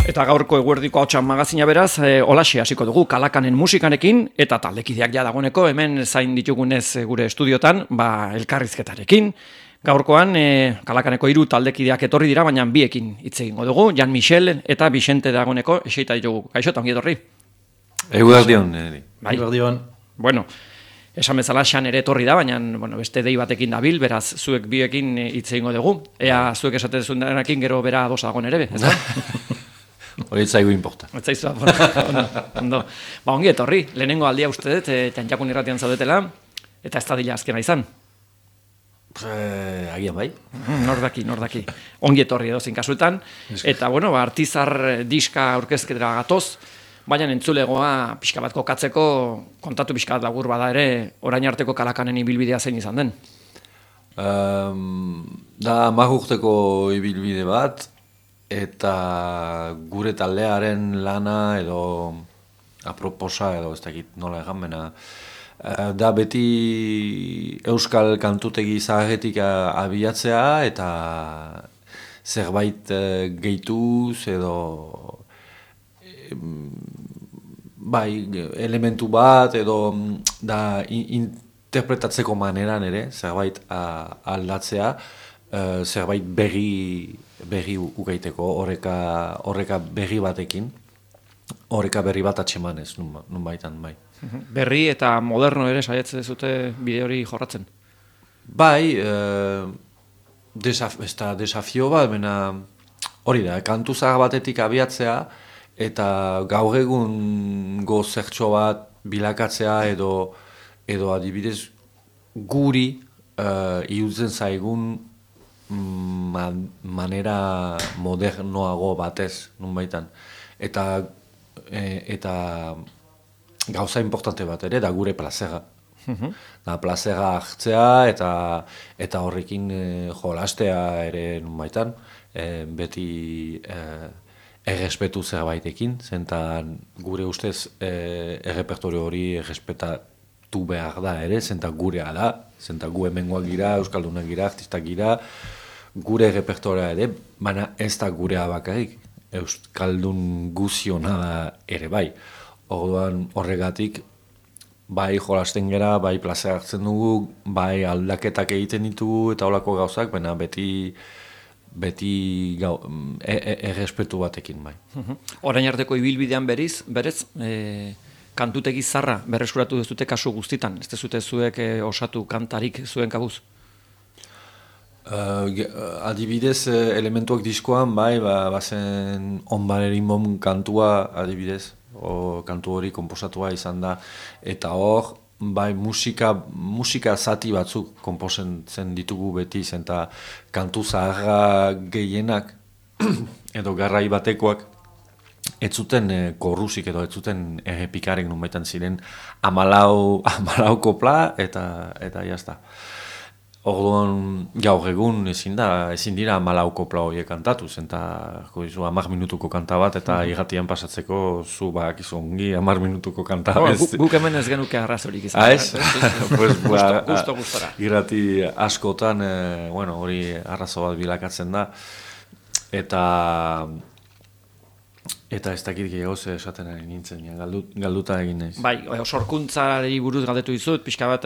Eta gaurko eguerdiko hautsan magazina beraz, holaxe hasiko dugu Kalakanen musikarekin eta taldekideak ja dagoeneko hemen zain ditugunez gure estudiotan, elkarrizketarekin. Gaurkoan Kalakaneko 3 taldekideak etorri dira, baina biekin hitz egingo dugu. Jan Michel eta Vicente dagoeneko eseita ditugu. Kaixo, ongi etorri. Eguerdion. Bai. Eguerdion. Bueno, esan bezala Xan ere etorri da, baina beste dei batekin dabil, beraz zuek biekin hitz egingo dugu. Ea zuek esaten zuenarekin gero bera ados dagoen ere, ez da? Hori zaigu inporta. Etzaizu, ondo. Ongi etorri, lehenengo aldia uste dut, Txantxakun irratian zaudetela, eta ez da dila azkena izan. Agian bai. Nordaki. Ongi etorri edozein kasuetan. Eta, Artizar diska aurkezketera gatoz, baina entzulegoa pixka bat kokatzeko, kontatu pixka bat lagur bada ere, orain arteko Kalakanen ibilbidea zein izan den. Da 10 urteko ibilbide bat, eta gure taldearen lana edo aproposa edo ez dakit nola egan da beti euskal kantutegi zaharretik abiatzea eta zerbait gehituz edo elementu bat edo da interpretatzeko maneran ere zerbait aldatzea, zerbait berri ugaiteko, horreka berri batekin, horreka berri bat atxemanez, nun baitan, bai. Berri eta moderno ere saiatzen zute bide hori jorratzen? Bai, desafio bat, hori da, kantu zahar batetik abiatzea, eta gaur egun zertxo bat bilakatzea edo adibidez guri irutzen zaigun manera modernoago batez, nunbaitan. Eta gauza importante bat ere, da gure plazera. Da plazera hartzea eta horrekin jolastea ere nunbaitan, beti errespetu zerbaitekin, zentan gure ustez errepertorio hori errespetatu behar da ere, zentan gurea da, zentan gu hemengoak gira, euskaldunak gira, artistak gira, gure repertorea ere, baina ez da gurea bakarrik, euskaldun guziona da ere bai. Orduan horregatik, bai jolasten gera, bai plazera hartzen dugu, bai aldaketak egiten ditugu eta holako gauzak, baina beti errespetu batekin bai. Orain arteko ibilbidean berez, kantutegi zarra berreskuratu duzute kasu guztitan, ez dezute zuek osatu kantarik zuen kabuz? Adibidez, elementuak diskoan, bai, bazen onbarerin bom kantua, adibidez, kantu hori komposatua izan da, eta hor, bai, musika zati batzuk komposatzen ditugu beti, eta kantu zaharra gehienak, edo garrai batekoak, ez zuten korrusik edo ez zuten errepikarek nunbaitan ziren 14 kopla eta jazta. Orduan gaur egun ezin dira 14 kopla horiek kantatu, eta 10 minutuko kanta bat eta irratian pasatzeko zu bakizu ongi 10 minutuko kanta. Guk hemen ez genuke arrazorik izan. Gustora. Irrati askotan hori arrazo bat bilakatzen da, eta ez dakit gehiagoz esaten ari nintzen, galduta egin naiz. Bai, sorkuntzari buruz galdetu dizut, pixka bat,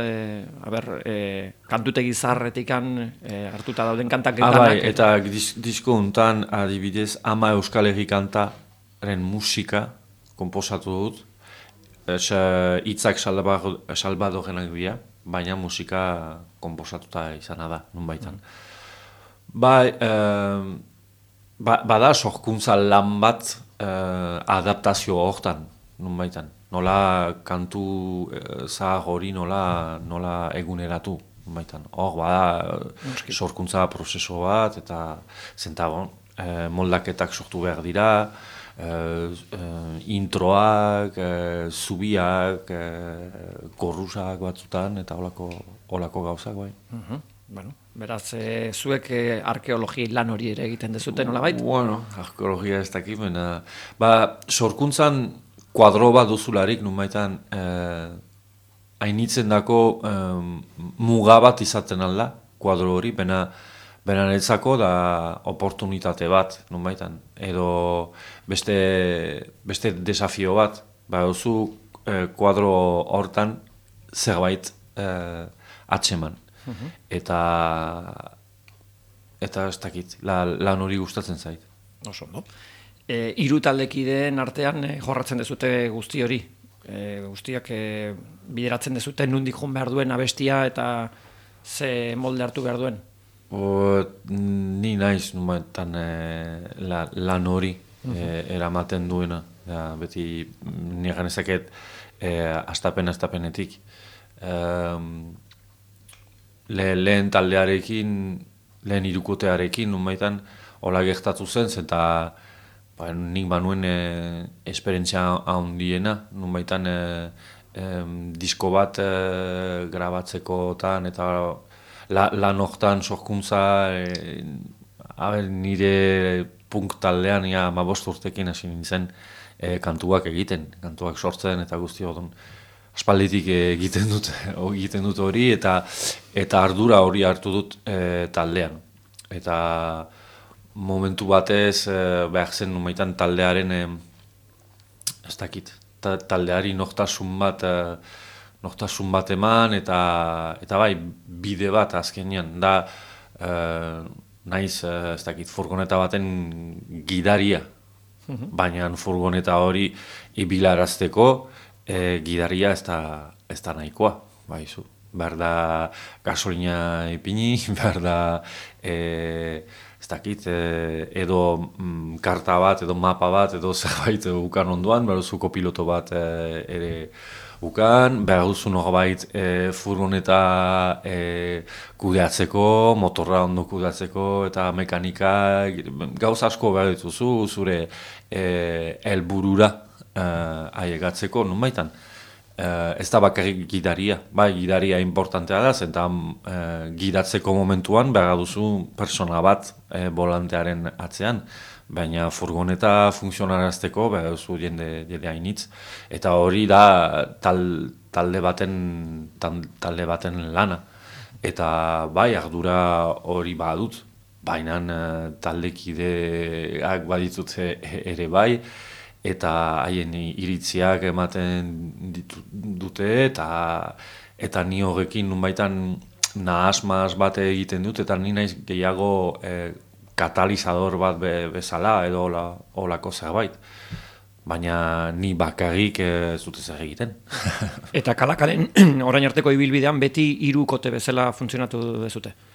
kantutegi zarretikan hartuta dauden kantak getanak. Bai, eta disko hontan adibidez 10 Euskal Herri kantaren musika komposatu dut, hitzak Salvadorenak dira, baina musika komposatuta izana da, nunbaitan. Bai, bada sorkuntza lan bat adaptazio hortan, nunbaitan. Nola kantu zahar hori nola eguneratu, nunbaitan. Hor, bada sorkuntza prozeso bat, eta zentabon, moldaketak sortu behar dira, introak, zubiak, korrusak batzutan, eta holako gauzak, bai. Beraz, zuek arkeologi lan hori ere egiten dezuten, nola bait? Arkeologia ez dakit, sorkuntzan kuadro bat duzularik, nunbaitan, hainitzen dako muga bat izaten alda, kuadro hori, Beranetzako da oportunitate bat, nonbaitan, edo beste desafio bat, duzu kuadro hortan zerbait atseman. Eta ez dakit, lan hori gustatzen zait. Oso, no? Hiru taldekideen artean jorratzen dezute guzti hori. Guztiak bideratzen dezute nondik joan behar duen abestia eta ze molde hartu behar duen. Ni naiz numetan lan hori eramaten duena. Beti nire ezaket astapenetik. Lehen taldearekin, lehen hirukotearekin numaitan hola gertatu zen, eta nik banuen esperientzia handiena, nunbaitan disko bat grabatzekotan eta lan hortan sorkuntza nire punk taldean 15 urtekin hasi nintzen kantuak egiten, kantuak sortzen eta guzti odon. Aspalditik egiten dut hori eta ardura hori hartu dut taldean. Eta momentu batez behar zen numaitan taldearen ez dakit, taldeari nortasun bat eman eta bai bide bat azkenean da naiz ez dakit furgoneta baten gidaria, baina furgoneta hori ibilarazteko gidaria ez da nahikoa, baizu. Behar da gasolina ipini, behar da ez dakit, edo karta bat, edo mapa bat, edo zerbait ukan ondoan, behar duzu kopiloto bat ere ukan, behar duzu norbait furgoneta kudeatzeko, motorra ondo kudeatzeko, eta mekanika, gauza asko behar dituzu, zure helburura ailegatzeko, nonbaitan. Ez da bakarrik gidaria, bai gidaria importantea da, eta gidatzeko momentuan behar duzu persona bat volantearen atzean, baina furgoneta funtzionarazteko behar duzu jende hainitz, eta hori da talde baten lana, eta bai ardura hori badut, baina taldekideak baditut ere bai, eta haien iritziak ematen dute, eta ni horrekin nunbaitan nahasmaz bat egiten dut, eta ni naiz gehiago katalizador bat bezala edo holako zerbait. Baina ni bakarrik ez dute zer egiten. Eta Kalakalen orain arteko ibilbidean beti hirukote bezala funtzionatu dezute.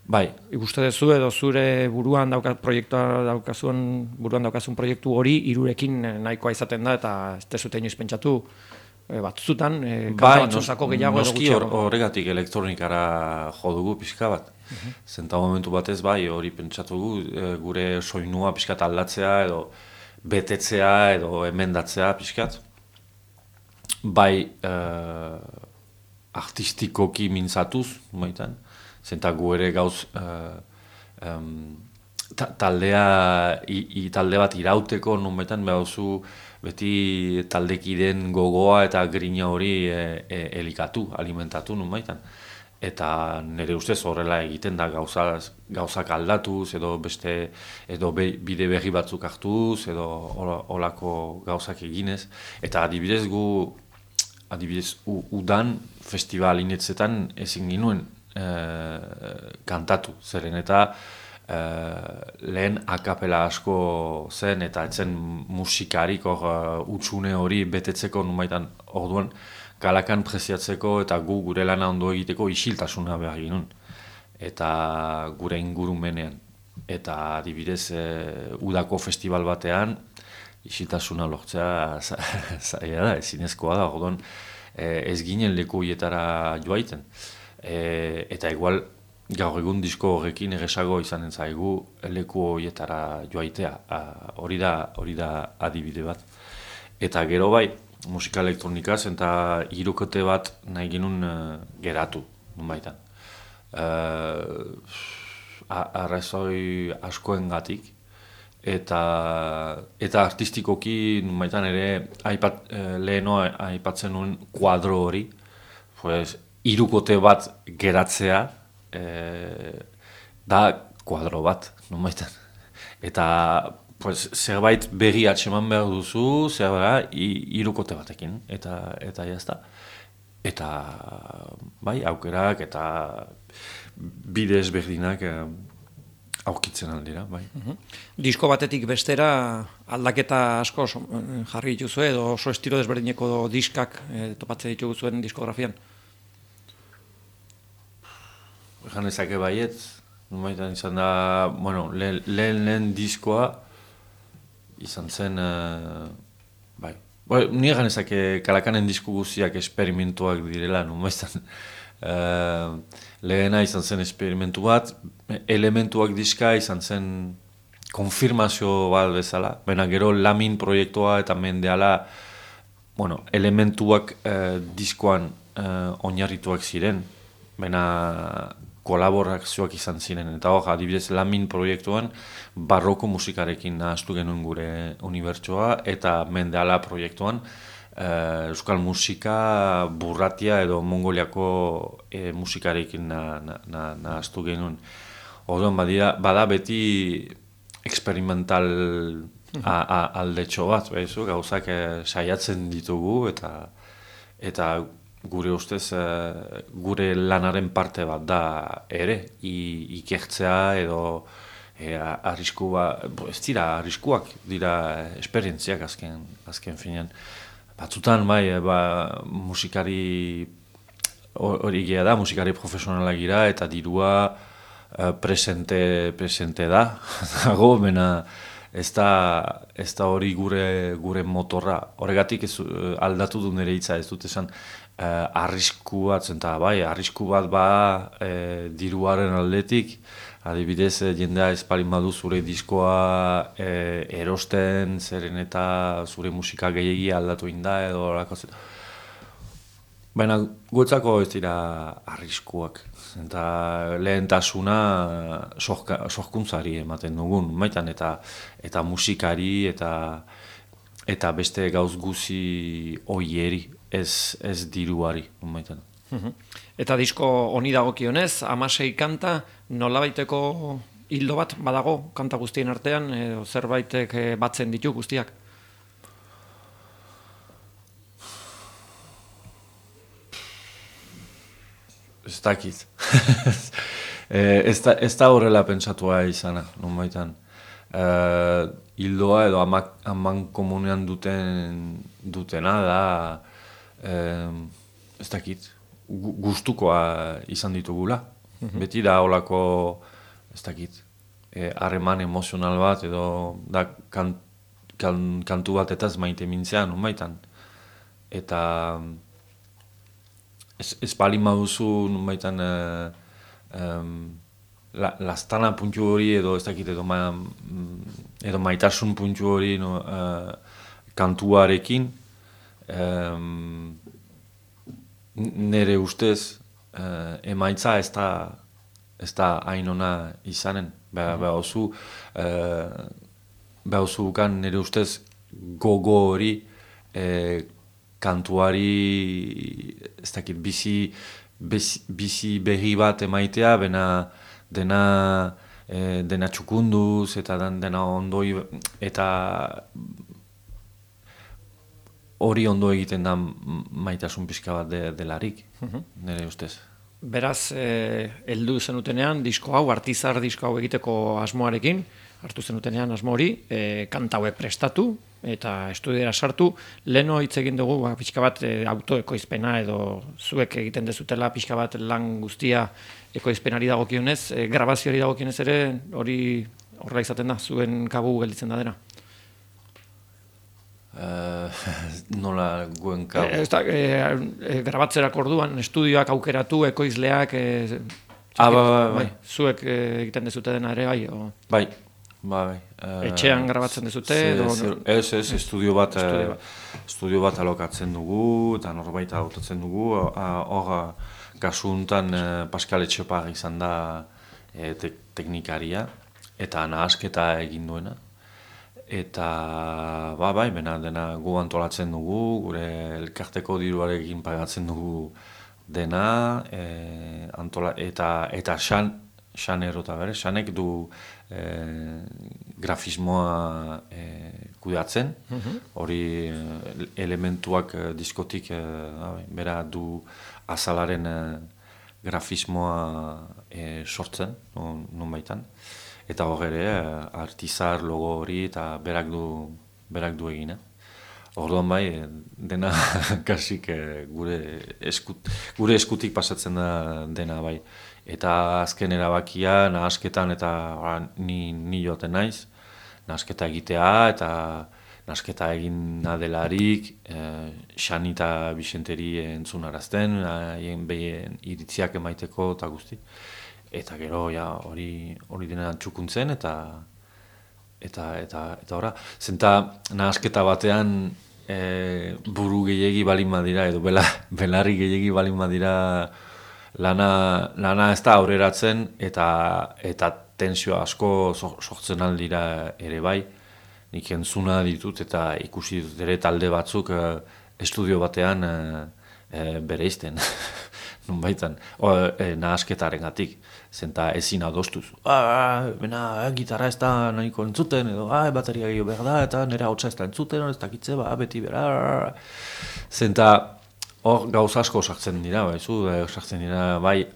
Bai. Ikuste duzu edo zure buruan daukazun proiektu hori hirurekin nahikoa izaten da eta ez dezute inoiz pentsatu batzutan kanta batzuzako gehiago edo gutxiago. Horregatik elektronikara jo dugu pixka bat. Zenta momentu batez bai hori pentsatu dugu gure soinua pixkat aldatzea edo betetzea edo emendatzea pixkat. Bai artistikoki mintzatuz, maitan. Zenta gu ere gauz talde bat irauteko nunbaitan behauzu beti taldekideen gogoa eta grina hori elikatu, alimentatu nunbaitan. Eta nire ustez horrela egiten da gauzak aldatuz edo bide berri batzuk hartuz edo holako gauzak eginez. Eta adibidez udan festivalinetzetan ezin ginuen kantatu, zeren eta lehen akapela asko zen eta etzen musikarik utxune hori betetzeko nunbaitan orduan Kalakan preziatzeko eta gure lana ondo egiteko isiltasuna behar ginen eta gure ingurumenean eta adibidez udako festival batean isiltasuna lortzea zaila da, ezinezkoa da, orduan ez ginen leku hietara joaiten. Eta igual gaur egun disko horrekin egesago izanen zaigu leku horietara joaitea, hori da adibide bat. Eta gero bai, musika elektronikaz eta hirukote bat nahi ginun geratu, nunbaitan. Arrazoi askoengatik eta artistikoki nunbaitan ere lehenoa aipatzen nuen kuadro hori, hirukote bat geratzea, da kuadro bat, nonbaitan. Eta pues, zerbait berri atseman behar duzu, zerbait hirukote batekin, eta jazta. Eta bai, aukerak eta bide ezberdinak aurkitzen aldira, bai. Disko batetik bestera aldaketa asko jarri dituzu edo oso estilo desberdineko diskak topatzen ditugu zuen diskografian? Egan ezake baiet, nonbaitan izan da, bueno, lehen diskoa izan zen, bai. Ni egan ezake Kalakanen disko guztiak esperimentuak direla, nonbaitan. Lehena izan zen esperimentu bat, elementuak diska izan zen konfirmazio bat bezala, baina gero Lamin proiektua eta mendeala, bueno, elementuak diskoan oinarrituak ziren, baina kolaborazioak izan ziren, eta hor, adibidez Lamin proiektuan barroko musikarekin nahaztu genuen gure unibertsoa, eta mendeala proiektuan euskal musika burratia edo mongoliako musikarekin nahaztu genuen. Orduan bada beti eksperimental aldetxo bat, gauzak saiatzen ditugu eta gure ustez gure lanaren parte bat da ere, ikertzea edo arrisku ez dira arriskuak, dira esperientziak azken finean. Batzutan, musikari hori gira da, musikari profesionala gira, eta dirua presente da, dago, bena ez da hori gure motorra. Horregatik aldatu du nire hitza, ez dut esan arrisku bat, arrisku bat diruaren aldetik, adibidez, jendea espalin badu zure diskoa erosten, zeren eta zure musika gehiagia aldatu inda edo horako zen. Baina guetzako ez dira arriskuak. Eta lehentasuna sorkuntzari ematen dugun, maitan, eta musikari eta beste gauz guzi oieri, ez diruari, maitan. Eta disko honi dagokionez, 16 kanta, nolabaiteko hildo bat badago kanta guztien artean, edo zerbaitek batzen ditu guztiak? Ez dakit. Ez da horrela pentsatua izana, nonbaitan. Hildoa edo aman komunean dutena da, ez dakit, gustukoa izan ditugula. Beti da holako, ez dakit, harreman emozional bat edo da kantu bat eta ez maite mintzean, nonbaitan. Eta ez balin baduzu, nonbaitan, lastana puntu hori edo ez dakit, edo maitasun puntu hori kantuarekin, nire ustez emaitza ez da hain ona izanen. Behazu ukan nire ustez gogo hori kantuari ez dakit bizi berri bat emaitea, dena txukunduz eta dena ondoi eta hori ondo egiten da maitasun pixka bat delarik, nire ustez. Beraz, heldu zenutenean, disko hau, artizar disko hau egiteko asmoarekin, hartu zenutenean asmo hori, kanta hauek prestatu eta estudiera sartu, leheno hitz egin dugu pixka bat autoekoizpena edo zuek egiten dezutela pixka bat lan guztia ekoizpenari dagokionez, grabazioari dagokionez ere, hori horrela izaten da, zuen kabu gelditzen da dena. Nola guen kabu? Grabatzerako orduan, estudioak aukeratu, ekoizleak, bai. Zuek egiten dezute dena ere, bai? Bai. Etxean grabatzen dezute? Ez, estudio bat alokatzen dugu, eta norbait hautatzen dugu. Hor, kasu honetan Pascal Etxepar izan da teknikaria, eta nahasketa egin duena. Eta, bai, dena gu antolatzen dugu, gure elkarteko diruarekin pagatzen dugu dena, eta Xanero eta bere, Xanek du grafismoa kudeatzen, hori elementuak diskotik bera du azalaren grafismoa sortzen, non baitan. Eta hor ere, artizar logo hori eta berak du egina. Orduan bai, dena kasik gure eskutik pasatzen da dena bai. Eta azken erabakia, nahasketan eta ni joaten naiz, nahasketa egitea eta nahasketa egin delarik, Xani eta Bixenteri entzunarazten, haien behien iritziak emaiteko eta guzti. Eta gero hori dena txukuntzen eta horra. Zenta nahasketa batean buru gehiegi balin badira edo belarri gehiegi balin badira lana ez da aurreratzen eta tensio asko sortzen aldira ere bai. Nik entzuna ditut eta ikusi ditut ere talde batzuk estudio batean bereizten. Nunbaitan, nahasketaren gatik, zenta ezin adostuz. Gitarra ez da nahiko entzuten, edo bateria gehiago behar da, eta nire hautsa ez da entzuten, ez dakitze, beti bera. Zenta hor gauz asko sartzen dira, sartzen dira, bai,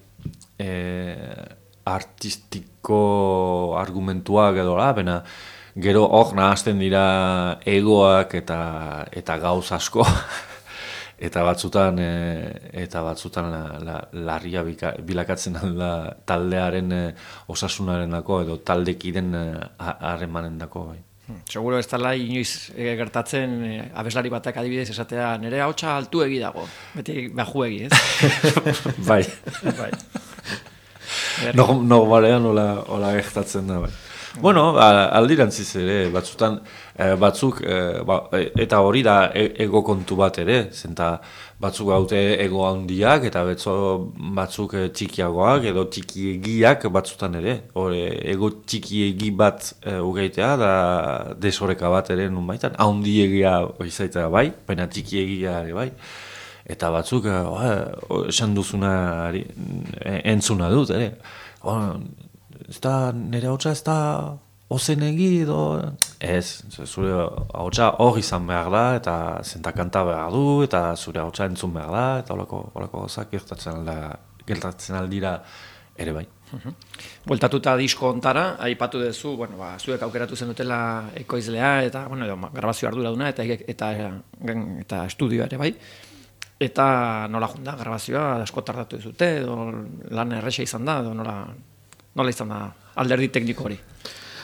artistiko argumentuak edo, bena, gero hor nahazten dira egoak eta gauz asko. Eta batzutan larria bilakatzen da taldearen osasunaren dako edo taldekiden harremanen dako. Seguro ez dela inoiz gertatzen abeslari batak adibidez esatea nire hautsa altu egi dago, beti baju egi, ez? Bai. Normalean hola gertatzen da, bai. Bueno, aldirantziz ere, batzuk, eta hori da ego kontu bat ere, zenta batzuk gaute ego handiak eta batzuk txikiagoak edo txikiegiak batzutan ere. Ego txikiegi bat ugeitea da desoreka bat ere nun baitan, handiegia izaitea bai, baina txikiegia ere bai. Eta batzuk, esan duzuna entzuna dut ere. Ez da, nire hautsa ez da ozenegi edo... Ez, zure hautsa hor izan behar da, eta zentakanta behar du, eta zure hautsa entzun behar da, eta holako gozak gertatzen aldira ere bai. Bueltatuta disko ontara, aipatu duzu, zuek aukeratu zen dutela ekoizlea, eta grabazio arduraduna, eta estudioa ere bai. Eta nola junda, grabazioa asko tardatu duzute, edo lan erresa izan da, edo nola izan da alderdi tekniko hori?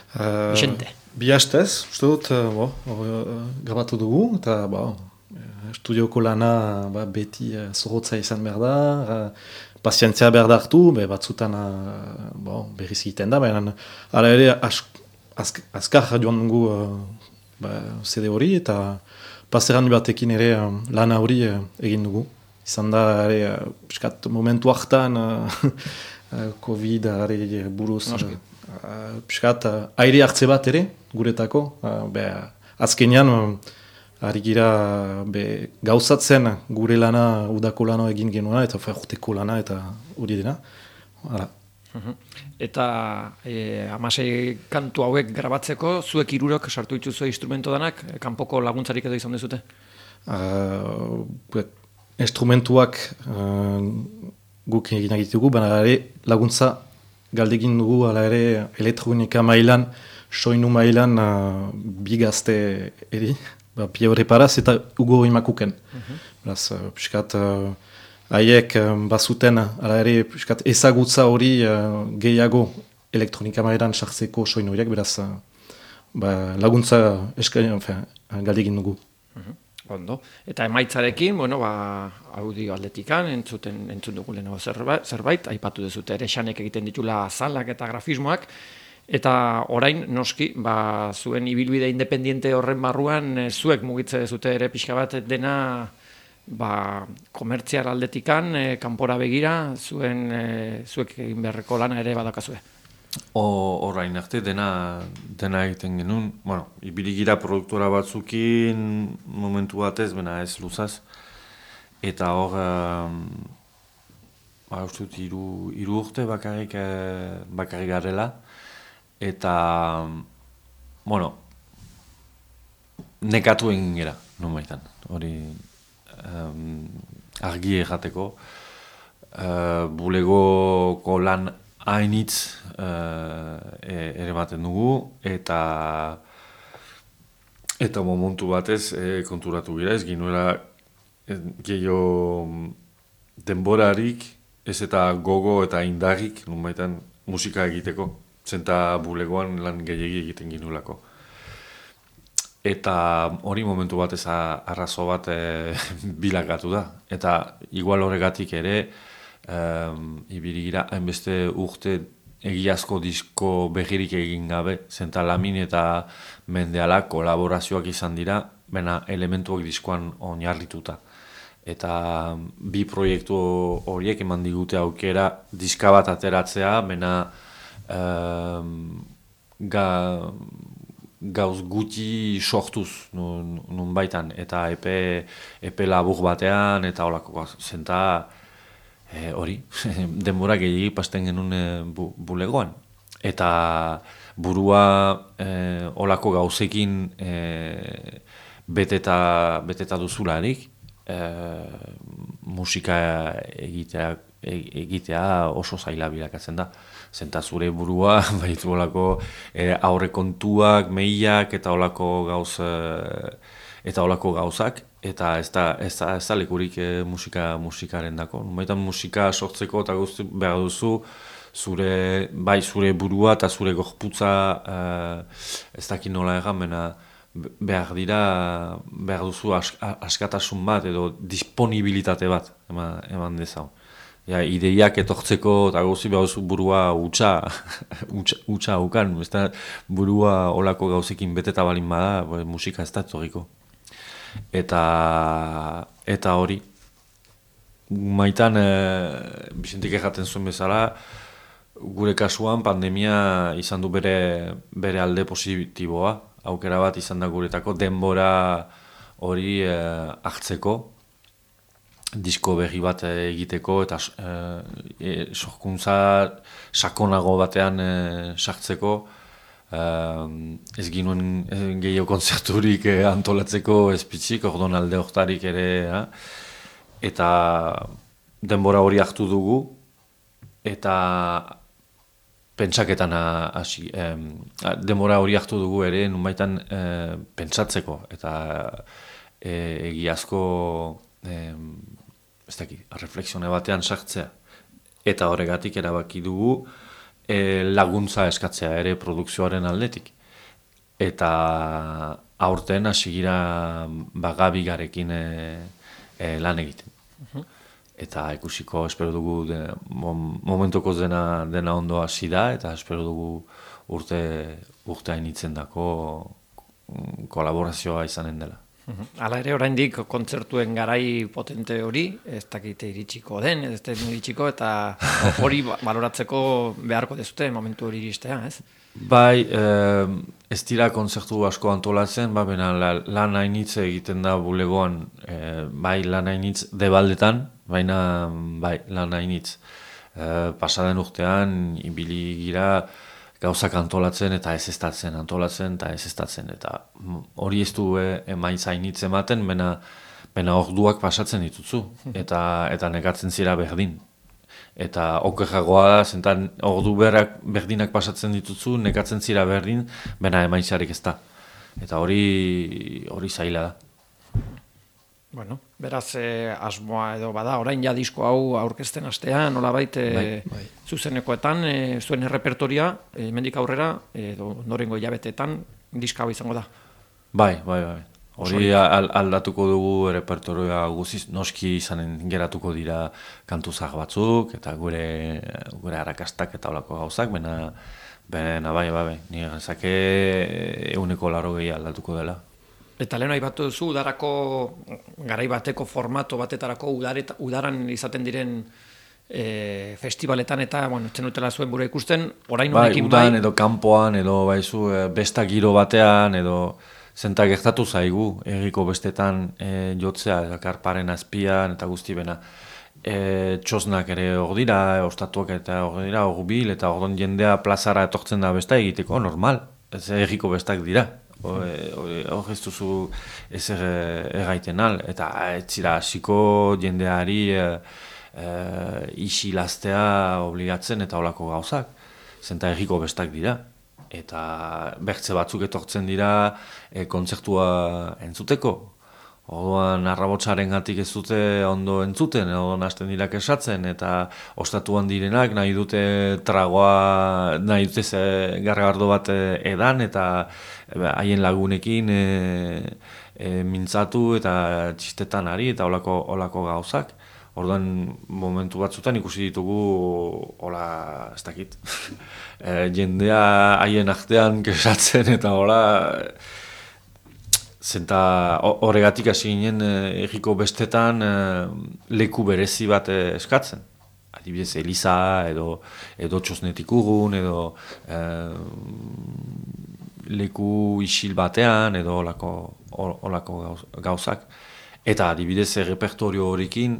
Bixente. Bi hastez, uste dut, grabatu dugu, eta estudioko lana beti zorrotza izan behar da, pazientzia behar da hartu, batzutan berriz egiten da, baina ala ere azkar joan dugu CD hori, eta paseran batekin ere lana hori egin dugu. Izan da, piskat momentu hartan, Covid buruz piskat aire hartze bat ere guretako azkenean ari gira gauzatzen gure lana udako lana egin genuena eta urteko lana eta hori dena Eta 16 kantu hauek grabatzeko zuek hirurok sartu dituzue instrumento danak kanpoko laguntzarik edo izan dezute? Instrumentuak guk egin egitugu, baina ere laguntza galdegin dugu, ala ere elektronika mailan, soinu mailan bigazte eri, Pio Reparaz eta Hugo Imakuken. Beraz, piskat, haiek bazuten, ala ere, piskat, ezagutza hori gehiago elektronika mailan sartzeko soinu horiek, beraz, laguntza galdegin dugu. Ondo. Eta emaitzarekin, audio aldetikan, entzun dugu lehenago zerbait, aipatu dezute ere Xanek egiten ditula azalak eta grafismoak, eta orain, noski, zuen ibilbide independiente horren barruan, zuek mugitze dezute ere pixka bat dena komertziar aldetikan, kanpora begira, zuek egin beharreko lana ere badakazue. Orain arte dena egiten genuen, ibiligira produktora batzukin momentu batez, bena ez luzaz, eta hor uste dut, hiru urte bakarrik garela, eta, bueno, nekatu egin gera, nonbaitan, hori argi errateko, bulegoko lan hainitz ere baten dugu, eta momentu batez konturatu gira, ez ginuela gehiago denborarik, ez eta gogo eta indarrik, nonbaitan musika egiteko, zenta bulegoan lan gehiagi egiten ginulako. Eta hori momentu batez arrazo bat bilakatu da. Eta igual horregatik ere, ibili gira, hainbeste urte egiazko disko begirik egin gabe, zenta Lamin eta Mendeala kolaborazioak izan dira, bena elementuak diskoan oinarrituta. Eta bi proiektu horiek eman digute aukera diska bat ateratzea, bena gauz gutxi sortuz nun baitan, eta epe labur batean, eta holako zenta hori, denbora gehiagik pasten genuen bulegoan. Eta burua holako gauzekin beteta duzularik, musika egitea oso zaila bilakatzen da. Zenta zure burua, baitu holako aurrekontuak, mehiak eta holako gauzak, eta ez da lekurik musikaren dako. Baitan musika sortzeko eta guzti behar duzu, zure burua eta zure gorputza ez dakit nola egan, behar duzu askatasun bat edo disponibilitate bat eman dezau. Ideiak etortzeko eta gauzi behar duzu burua utxa haukan, burua olako gauzekin beteta balin bada, musika ez da etorriko. Eta hori, maitan Bizentik erraten zuen bezala, gure kasuan pandemia izan du bere alde positiboa, aukera bat izan da guretako denbora hori hartzeko, disko berri bat egiteko eta sorkuntza sakonago batean sartzeko, ez ginuen gehiago kontzerturik antolatzeko espitzik, ordon alde hortarik ere, eta denbora hori hartu dugu, eta pentsaketan hasi, denbora hori hartu dugu ere, nunbaitan pentsatzeko, eta egiazko reflexione batean sartzea. Eta horregatik erabaki dugu laguntza eskatzea ere produkzioaren aldetik. Eta aurten hasi gira Bagabigarekin lan egiten. Eta ikusiko espero dugu momentuko dena ondo hasi da, eta espero dugu urte hainitzen dako kolaborazioa izanen dela. Hala ere, oraindik kontzertuen garai potente hori, ez dakite iritsiko den, ez da iritsiko, eta hori baloratzeko beharko dezute momentu hori iristea, ez? Bai, ez dira kontzertu asko antolatzen, baina lan hainitz egiten da bulegoan, bai lan hainitz debaldetan, baina bai lan hainitz. Pasaden urtean, ibili gira, gauzak antolatzen eta ez estatzen, antolatzen eta ez estatzen. Eta hori ez du emaitza hainitz ematen, baina orduak pasatzen dituzu, eta nekatzen zira berdin. Eta okerragoa da, zentan ordu berdinak pasatzen dituzu, nekatzen zira berdin, baina emaitzarik ez da. Eta hori zaila da. Bueno, beraz asmoa edo bada, orain ja disko hau aurkezten astean, nolabait zuzenekoetan, zuen errepertoria, hemendik aurrera, edo norengo hilabeteetan, diska hau izango da. Bai. Hori aldatuko dugu errepertorioa guziz, noski izanen geratuko dira kantuzak batzuk, eta gure arrakastak eta olako gauzak, baina bai, nire gazake 180 aldatuko dela. Eta lehen aipatu duzu, udarako garai bateko formato batetarako udaran izaten diren festivaletan eta, zenutela zuen bura ikusten, orain honekin bai. Udan edo kanpoan, edo baizu besta giro batean, edo zenta gertatu zaigu, erriko bestetan jotzea, karparen azpian eta guzti bena. txosnak ere hor dira, ostatuak eta hor dira, hurbil, eta ordon jendea plazara etortzen da besta egiteko, normal, ez erriko bestak dira. Hor ez duzu ezer erraiten al, eta ez zira hasiko jendeari isilaztea obligatzen eta holako gauzak, zenta erriko bestak dira. Eta bertze batzuk etortzen dira kontzertua entzuteko. Orduan arrabotsaren gatik ez dute ondo entzuten, orduan hasten dira kesatzen, eta ostatuan direnak nahi dute tragoa, nahi dute gargardo bat edan, eta haien lagunekin mintzatu eta txistetan ari, eta olako gauzak. Orduan momentu batzutan ikusi ditugu, hola, ez dakit, jendea haien artean kesatzen, eta hola, zenta horregatik hasi ginen erriko bestetan leku berezi bat eskatzen. Adibidez, Eliza edo txosnetik urrun, edo leku isil batean, edo olako gauzak. Eta adibidez, repertorio horrekin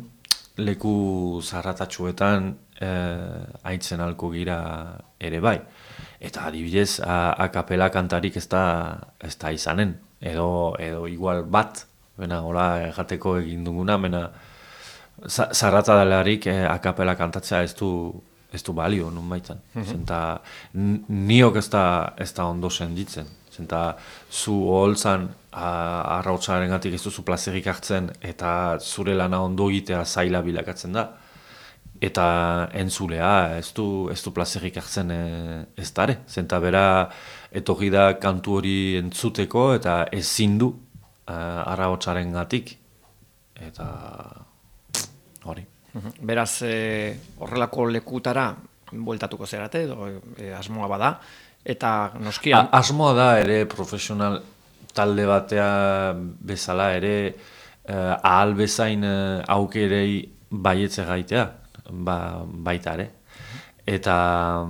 leku zarratatxuetan haitzen alko gira ere bai. Eta adibidez, akapela kantarik ez da izanen. Edo igual bat, bena, hola, jateko egin duguna, bena, zarrata delarik akapela kantatzea ez du balio, nun baitan. Zenta, niok ez da ondo senditzen. Zenta, zu oholtzan, arrautzaren gatik ez duzu plazerik hartzen, eta zure lana ondo egitea zaila bilakatzen da. Eta entzulea ez du plazerik hartzen ez dare. Zenta bera etorri da kantu hori entzuteko eta ezin du arrahotsaren gatik. Eta hori. Beraz, horrelako lekutara bueltatuko zerate, edo asmoa bada, eta noskian... Asmoa da ere profesional talde batea bezala ere ahal bezain aukerei baietze gaitea. Baita ere. Eta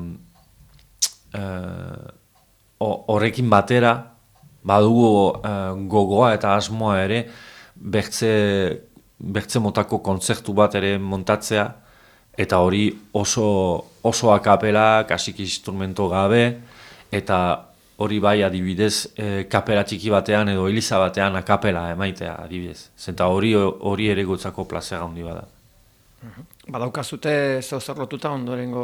horrekin batera badugu gogoa eta asmoa ere bertze motako kontzertu bat ere montatzea, eta hori oso akapela, kasik instrumento gabe, eta hori bai adibidez kapela txiki batean edo eliza batean akapela emaitea adibidez. Zenta hori ere gotzako plazera handi bada. Badaukazute zer lotuta ondorengo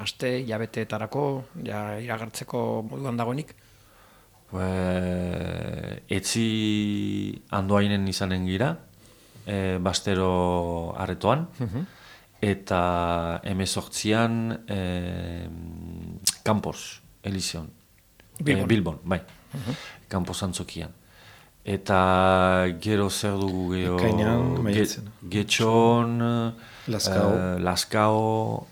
aste, hilabeteetarako, iragartzeko moduan dagoenik? Etzi Andoainen izanen gira, Bastero aretoan, eta 18an Campos, Elizion, Bilbon, bai, Campos antzokian. Eta gero zer dugu Getxon, Laskao,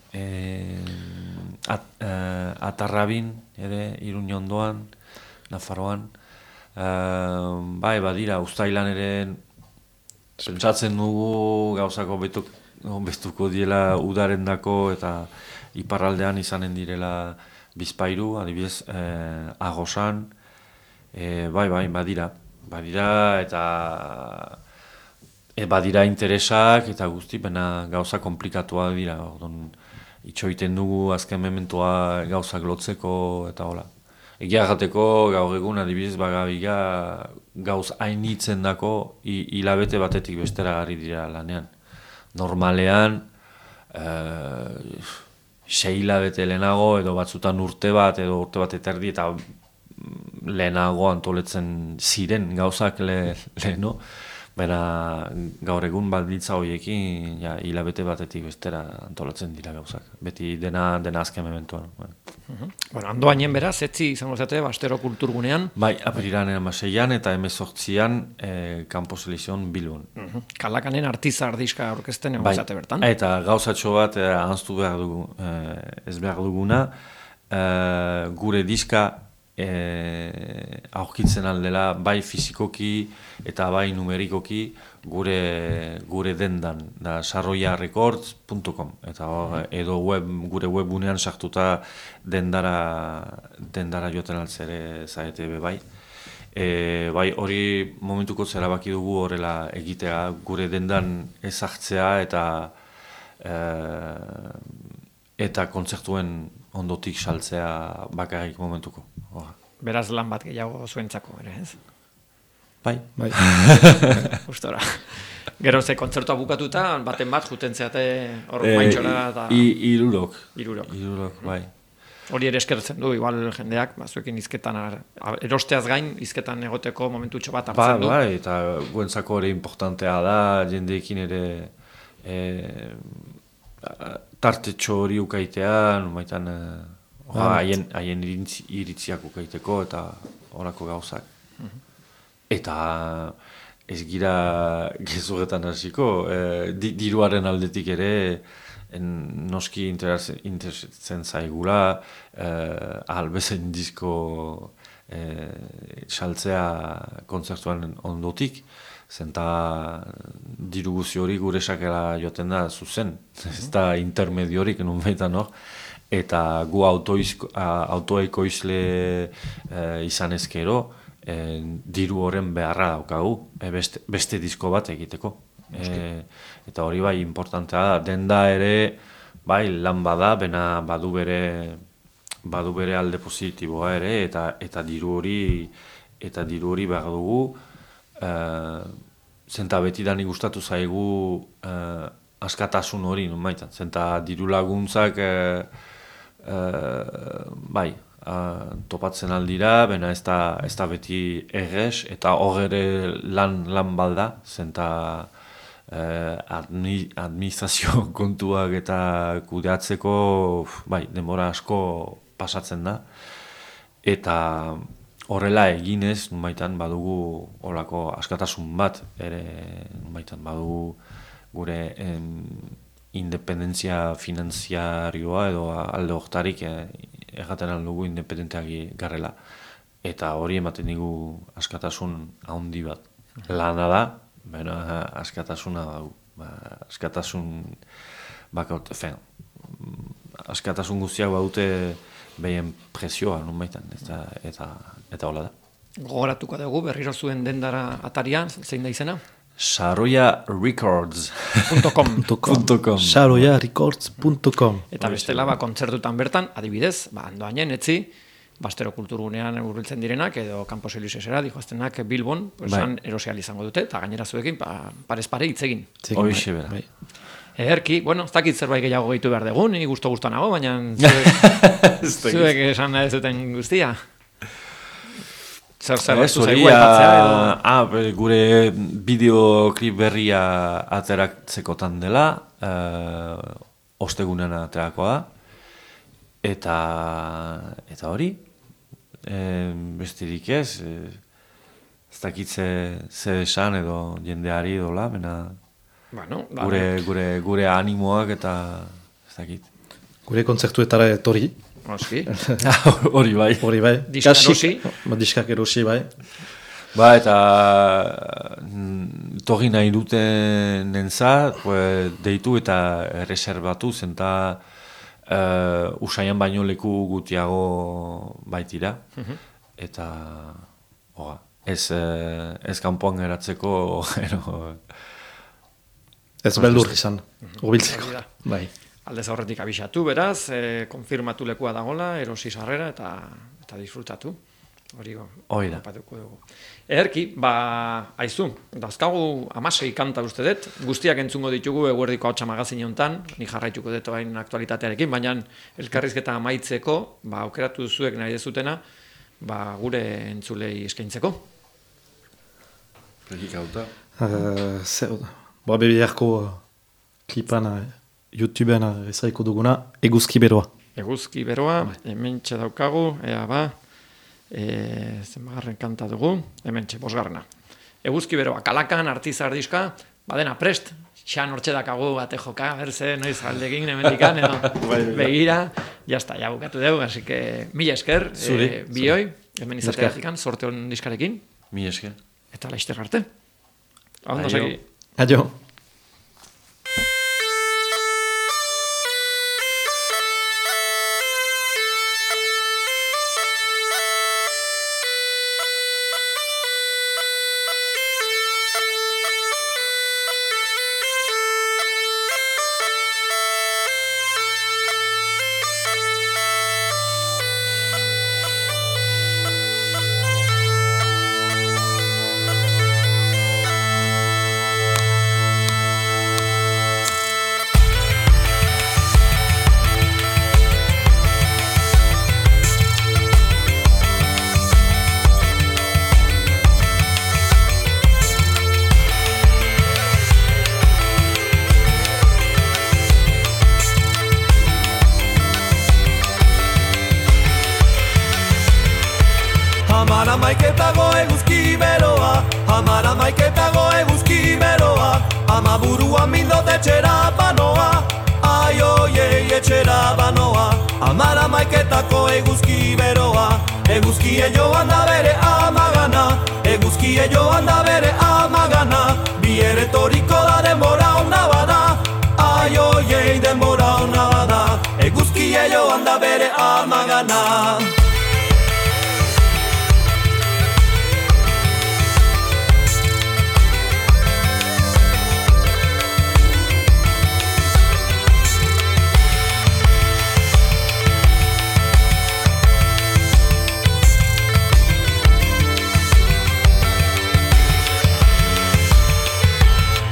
Atarrabin, ere, Iruñondoan, Nafarroan. Bai, badira, Uztailan ere pentsatzen dugu gauzako bestuko diela udarendako eta iparraldean izanen direla Bizpairu, adibidez, Agosan. Bai, badira eta badira interesak eta guzti, baina gauza komplikatua dira. Itxoiten dugu azken mementoa gauzak lotzeko eta hola. Egia jateko gaur egun adibidez bagabiga gauz hainitzen dako hilabete batetik bestera ari dira lanean. Normalean 6 hilabete lehenago edo batzutan urte bat edo urte bat eta erdi eta lehenago antoletzen ziren gauzak leheno, baina gaur egun baldintza horiekin hilabete batetik bestera antolatzen dira gauzak. Beti dena azken mementoan. Bueno, Andoainen beraz, etzi izango zate, Bastero kulturgunean. Bai, apirilanen 16an eta 18an Campos Elizion Bilbon. Kalakanen artizar diska aurkezten egon zate bertan. Eta gauzatxo bat ahaztu behar dugu, ez behar duguna, gure diska aurkitzen aldela bai fizikoki eta bai numerikoki gure dendan da sarroiarecords.com eta edo gure webunean sartuta dendara joten altzere zaete bai. Bai, hori momentuko erabaki dugu horrela egitea, gure dendan ezartzea eta kontzertuen ondotik saltzea bakarrik momentuko. Beraz lan bat gehiago zuentzako ere, ez? Bai. Gustora. Gero ze kontzertua bukatuta, baten bat juten zeate hor maintxora eta... Hirurok, bai. Hori ere eskertzen du, igual jendeak, zuekin izketan, erosteaz gain, izketan egoteko momentutxo bat hartzen du. Bai, eta guentzako ere importantea da, jendeekin ere tartetxo hori ukaitea, numaitan haien iritziak ukaiteko eta horako gauzak. Eta ez gira gezurretan hasiko, diruaren aldetik ere, noski interesatzen zaigula, ahalbezen disko saltzea kontzertuan ondotik, zenta diru guzi hori gure sakela joaten da zuzen, ez da intermediorik nun baitan hor, eta gu autoekoizle izan ezkero, diru horren beharra daukagu, beste disko bat egiteko. Eta hori bai importantea da, denda ere bai lan bada, bena badu bere alde positiboa ere, eta diru hori behar dugu, zenta betidan gustatu zaigu askatasun hori, numaitan, zenta diru laguntzak bai, topatzen aldira, bena ez da beti errez, eta hor ere lan balda, zenta administrazio kontuak eta kudeatzeko bai, denbora asko pasatzen da, eta horrela eginez, numaitan badugu horako askatasun bat, ere numaitan badugu gure independentzia finanziarioa edo alde hortarik erraten aldugu independenteak garrela. Eta hori ematen digu askatasun handi bat. Lana da, baina askatasuna dugu. Askatasun guztiak badute behien presioa, nun baitan, eta hola da. Gogoratuko dugu, berriro zuen dendara atarian, zein da izena? saroyarecords.com saroyarecords.com. Eta bestela, kontzertutan bertan, adibidez, Andoainen, etzi, Bastero kulturgunean hurbiltzen direnak, edo Campos Elísesera, dijoaztenak Bilbon, erosial izango dute, eta gainera zuekin, parez pare hitzegin. Hoixe bera. Ederki, ez dakit zerbait gehiago gehitu behar dugu, ni gusto nago, baina zuek esan ez duten guztia. Zer zaigu aipatzea edo? Gure bideoklip berria ateratzekotan dela, ostegunean aterakoa, eta hori, besterik ez dakit ze esan edo jendeari dola, gure animoak eta ez dakit. Gure kontzertuetara etorri. Hori bai. Diskak erosi bai. Eta torri nahi duten nentzat, deitu eta reserbatu, zenta usaian baino leku gutiago baitira. Eta ez kanpoan geratzeko ez beldur izan, urbiltzeko. Bai. Aldez aurretik abisatu, beraz, konfirmatu lekua dagoela, erosi sarrera eta disfrutatu. Hori da. Dugu. Ederki, aizu, dazkagu 16 kanta uste dut, guztiak entzungo ditugu Eguerdiko Ahotsa magazine honetan, ni jarraituko dut bain aktualitatearekin, baina elkarrizketa amaitzeko, aukeratu zuek nahi dezutena, gure entzulei eskaintzeko. Prekikauta. Bebiarko klipan YouTubean ezaiko duguna, Eguzki Beroa. Eguzki Beroa, hemen daukagu, zenbagarren kanta dugu, hemen 5. Eguzki Beroa, Kalakan, Artizar diska, badena prest, xan hortxe dakagu bate joka, berze, noiz aldegin hemendikan, begira, jazta, ja bukatu dugu, así que mila esker, bioi, hemen izateatik, sorte hon diskarekin. Mila esker. Eta laizter arte. Ondo segi. Adio. Amara maiketago eguzki beroa, ama buruan mindot etxera banoa, ai oiei etxera banoa. Amara maiketako eguzki beroa, eguzkie joan da bere amagana, eguzkie joan da bere amagana, bier etoriko da denbora ona bada, ai oiei denbora ona bada, eguzkie joan da bere amagana.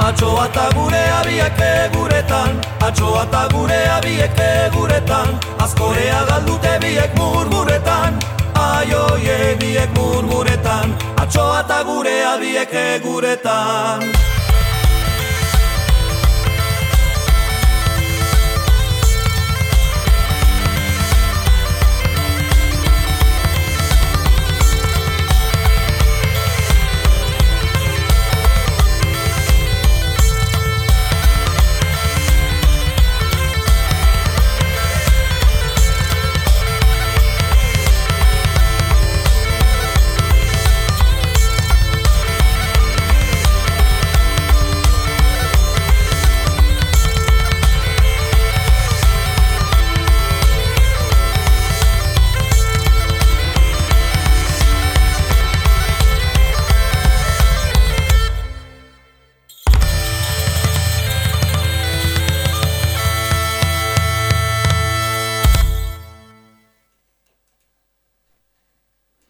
Atxoa eta gure abiek eguretan, atxoa eta gure abiek eguretan, azkorea galdute biek murmuretan, ai oie biek murmuretan, atxoa eta gure abiek eguretan.